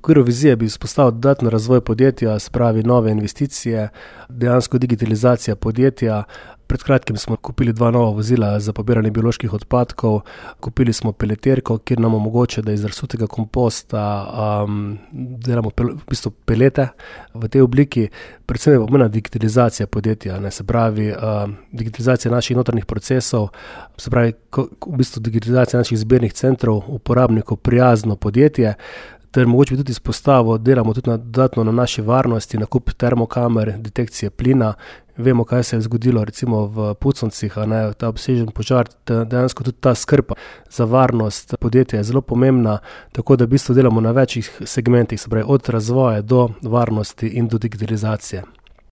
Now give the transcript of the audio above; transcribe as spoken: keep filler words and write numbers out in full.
okviru vizije bi izpostavil dodatno razvoj podjetja, se pravi nove investicije, dejansko digitalizacija podjetja. Pred kratkim smo kupili dva nova vozila za pobiranje bioloških odpadkov, kupili smo peleterko, kjer nam omogoča, da iz razsutega komposta um, delamo pel, v bistvu pelete v tej obliki. Predvsem je pomembna digitalizacija podjetja, ne, se pravi um, digitalizacija naših notranjih procesov, se pravi ko, v bistvu digitalizacija naših zbirnih centrov, uporabnikov, prijazno podjetje. Ter mogoče bi tudi izpostavil, delamo tudi na, dodatno na naši varnosti, nakup termokamer, detekcije plina. Vemo, kaj se je zgodilo recimo v Puconcih, a ne, ta obsežen požar, dejansko tudi ta skrb za varnost podjetja je zelo pomembna, tako da v bistvu delamo na večjih segmentih, se pravi od razvoja do varnosti in do digitalizacije.